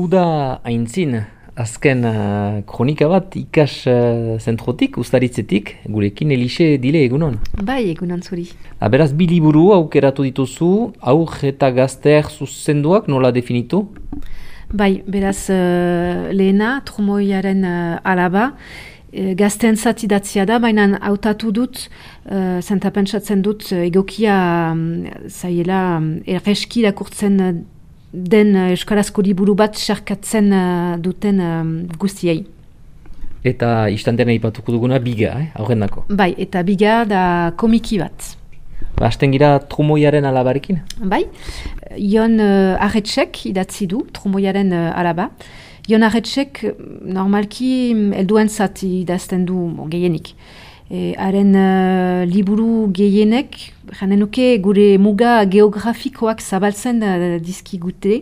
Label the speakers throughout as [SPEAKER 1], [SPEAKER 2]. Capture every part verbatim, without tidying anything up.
[SPEAKER 1] Uda aintzin, azken uh, kronika bat ikas uh, zentrotik, ustaritzetik, gurekin Elixe dile egunon.
[SPEAKER 2] Bai, egunon zuri.
[SPEAKER 1] Beraz, bi liburu aukeratu dituzu, aur eta gazteak zuzenduak nola definitu?
[SPEAKER 2] Bai, beraz, uh, lehena, trumoiaren uh, alaba, uh, gazteen zat idatzia da, baina hautatu dut, uh, zenta pentsatzen dut, uh, egokia um, zaiela um, erreski irakurtzen uh, den uh, euskarazko liburu bat sarkatzen uh, duten um, guztiei.
[SPEAKER 1] Eta istantean aipatuko duguna biga, eh? Aurrendako.
[SPEAKER 2] Bai, eta biga da komiki bat.
[SPEAKER 1] Ba, hasten gira trumoiaren alabarekin?
[SPEAKER 2] Bai, Jon uh, Arretxek idatzi du, trumoiaren uh, alaba. Jon Arretxek normalki helduen zat idazten du bon, gehienik. E, haren uh, liburu gehienek, janen nuke gure muga geografikoak zabaltzen uh, dizkigute.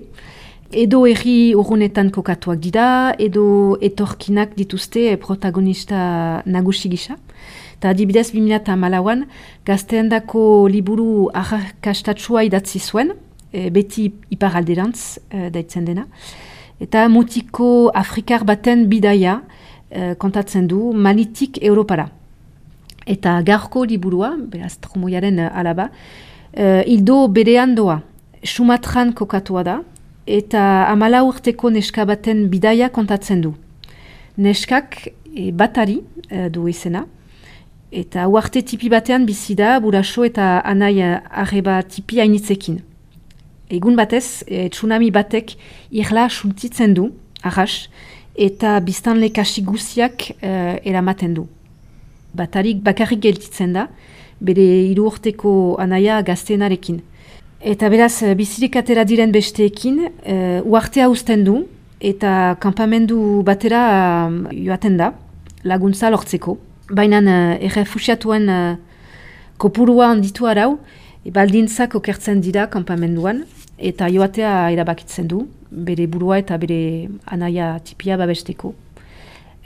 [SPEAKER 2] Edo herri urrunetan kokatuak dira, edo etorkinak dituzte protagonista nagusi gisa. Eta adibidez, bi mila hamalauan gazteendako liburu arrakastatsua idatzi zuen, e, beti iparalderantz e, daitzen dena. Eta mutiko afrikar baten bidaia e, kontatzen du Malitik Europara. Eta gaurko liburua, beraz trumoiaren alaba, e, hildo berean doa, Sumatran kokatua da, eta hamala urteko neska baten bidaia kontatzen du. Neskak e, batari e, du izena, eta uarte tipi batean bizi da buraso eta anai arreba tipi hainitzekin. Egun batez, e, tsunami batek irla suntitzen du, arras, eta biztanle kasi guziak e, eramaten du. Batarik bakarrik gelditzen da, bere hiru urteko anaia gaztenarekin. Eta beraz, bizirik atera diren besteekin, e, uartea uzten du, eta kanpamendu batera um, joaten da, laguntza lortzeko. Baina uh, errefusiatuen uh, kopurua handitu arau, e, baldintzak okertzen dira kanpamenduan, eta joatea erabakitzen du, bere burua eta bere anaia tipia babesteko.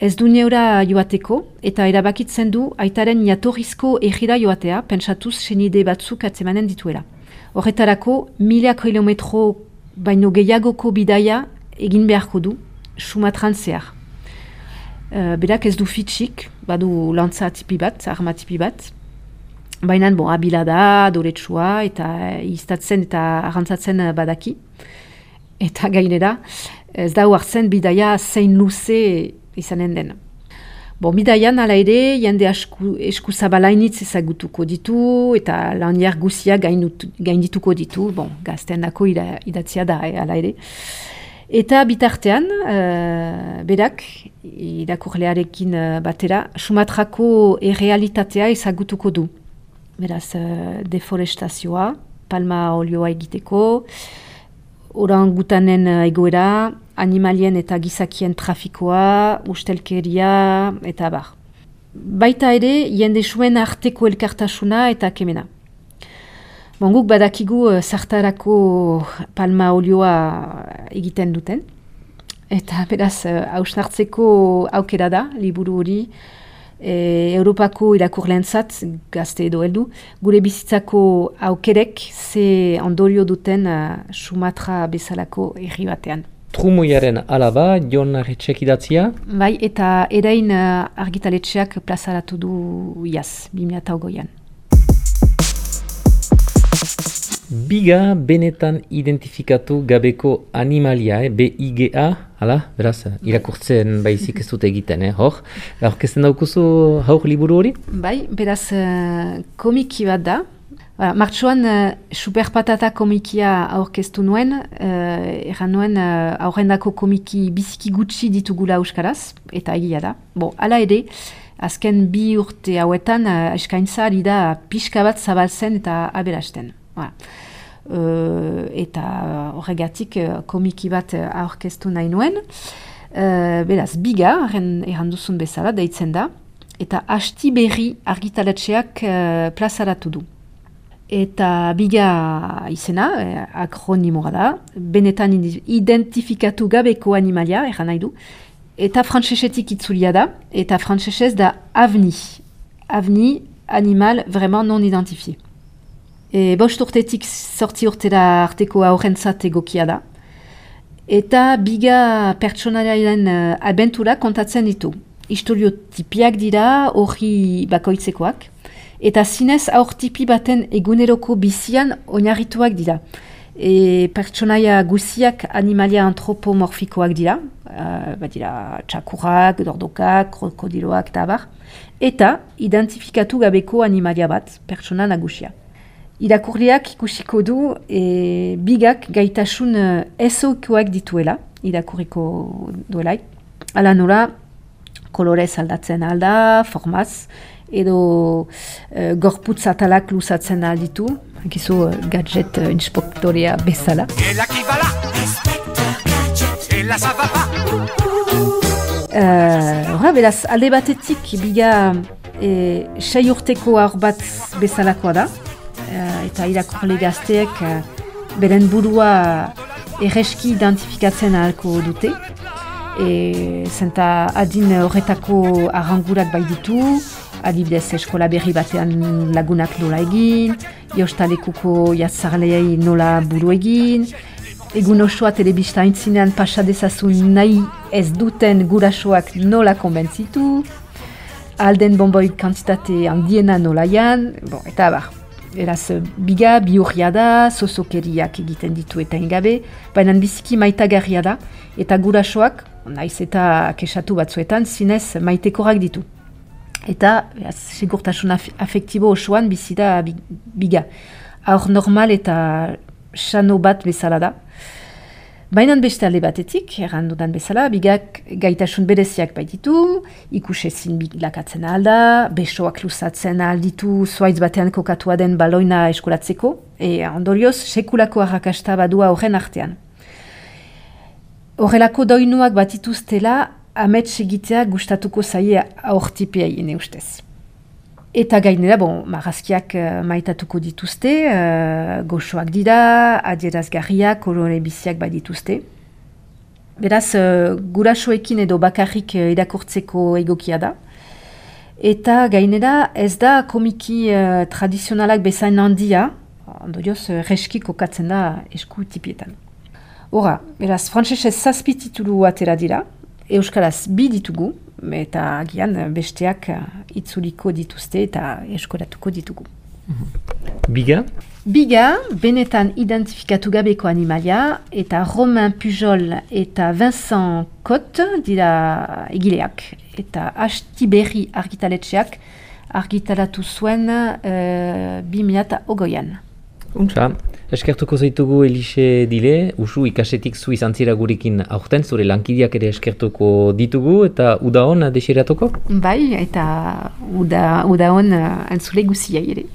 [SPEAKER 2] Ez du neura joateko, eta erabakitzen du aitaren jatorrizko egira joatea, pentsatuz senide batzuk atzemanen dituela. Horretarako, mila kilometro baino gehiagoko bidaia egin beharko du, Sumatran zehar. Uh, berak ez du fitxik, badu lantza tipi bat, arma tipi bat. Baina, bon, abila da, doretsua, eta iztatzen eta arrantzatzen badaki. Eta gainera, ez da huartzen bidaia zein luze izanen den. Bon, bidaian ala ere, jende esku, esku zabalainitz ezagutuko ditu, eta laniar guziak gaindituko ditu, bon, gazten dako idatzia da, eh, ala ere. Eta bitartean, uh, berak, irakurlearekin uh, batera, Sumatrako errealitatea ezagutuko du. Beraz, uh, deforestazioa, palma olioa egiteko, orangutanen uh, egoera, animalien eta gizakien trafikoa, ustelkeria, eta bar. Baita ere, jende zuen arteko elkartasuna eta kemena. Bon, guk badakigu uh, zartarako palma olioa egiten duten. Eta beraz, uh, hausnartzeko aukera da, liburu hori, e, Europako irakurleentzat gazte edo heldu, gure bizitzako aukerek ze ondorio duten uh, Sumatra bezalako herri batean.
[SPEAKER 1] Trumoiaren alaba, Jon Arretxek idatzia?
[SPEAKER 2] Bai, eta erain uh, argitaletxeak plazaratu du iaz, bi mila hogeian.
[SPEAKER 1] Biga benetan identifikatu gabeko animalia, eh? B I G A, hala, beraz, irakurtzen baizik ez dute egiten, eh? Hor, aurkezten daukuzu haur liburu hori?
[SPEAKER 2] Bai, beraz, uh, komiki bat da. Voilà, martxoan, uh, Superpatata komikia aurkeztu nuen, uh, erran nuen uh, aurrendako komiki biziki gutxi ditugula euskaraz, eta egia da. Bo, ala ere, azken bi urte hauetan, uh, eskaintza ari da pixka bat zabaltzen eta aberasten. Voilà. Uh, eta horregatik uh, komiki bat uh, aurkeztu nahi nuen. Uh, beraz, biga, erran duzun bezala, deitzen da, eta hasti berri argitaletxeak uh, plazaratu du. Eta biga izena, eh, akronimoa da, benetan identifikatu gabeko animalia, erran nahi du, eta frantsesetik itzulia da, eta frantsesez da avni. Avni, animal vraiment non identifié. E, bost urtetik sortzi urtera arteko aurrentzat egokia da. Eta biga pertsonaiaren uh, abentura kontatzen ditu. Historio tipiak dira, hori bakoitzekoak, eta zinez aur tipi baten eguneroko bizian oinarrituak dira. E, pertsonaia guziak animalia antropomorfikoak dira, uh, bat dira txakurrak, dordokak, krokodiloak eta abar, eta identifikatu gabeko animalia bat, pertsona nagusia. Irakurriak ikusiko du e, bigak gaitasun uh, ezoikoak dituela, irakurriko duelaik. Ala nola, kolorez aldatzen alda, formaz, edo uh, gorputz atalak luzatzen alditu, gizu uh, gadget uh, inspektorea bezala. Horra, uh, beraz, alde batetik biga e, sei urteko aur bat bezalakoa da, uh, eta irakurle gazteek uh, beren burua erreski identifikatzen ahalko dute. E, zenta adin horretako arrangurak bai ditu, adibidez eskola berri batean lagunak nola egin, jostalekuko jatzarleei nola buru egin, egun osoa telebista aintzinean pasa dezazun nahi ez duten gurasoak nola konbentzitu, alden bonboi kantitate handiena nola jan, bon, eta abar. Eraz, biga bihurria da, sosokeriak egiten ditu eta ingabe, baina biziki maitagarria da, eta gurasoak, naiz eta kesatu batzuetan, zinez maitekorak ditu. Eta, beraz, segurtasun af afektibo osoan bizi da biga. Aur normal eta xano bat bezala da. Baina beste alde batetik, errandudan bezala, bigak gaitasun bereziak baititu, ikusezin bilakatzen alda, besoak luzatzen alditu zuaitz batean kokatua den baloina eskolatzeko, e ondorioz, sekulako arrakasta badua horren artean. Horrelako doinuak batituztela, amets egitea gustatuko zaie aurtipeai ene ustez. Eta gainera, bon, marrazkiak uh, maitatuko dituzte, uh, goxoak dira, adierazgarriak, kolore biziak badituzte. Beraz, uh, gurasoekin edo bakarrik uh, irakurtzeko egokia da. Eta gainera, ez da komiki uh, tradizionalak bezain handia, ondorioz, uh, reski kokatzen da esku tipietan. Hora, beraz, frantsesez zazpi titulu atera dira, euskaraz bi ditugu, eta agian besteak itzuliko dituzte eta eskolatuko ditugu.
[SPEAKER 1] Biga?
[SPEAKER 2] Biga, benetan identifikatu gabeko animalia, eta Romain Pujol eta Vincent Cotte dira egileak, eta Hasti Berri argitaletxeak argitaratu zuen uh, bi mila ogoian.
[SPEAKER 1] Untsa, eskertuko zaitugu Elixe Dile, usu ikasetik zu izan zira gurekin aurten, zure lankideak ere eskertuko ditugu, eta uda hon desiratuko?
[SPEAKER 2] Bai, eta uda, uda hon uh, antzule guziai ere.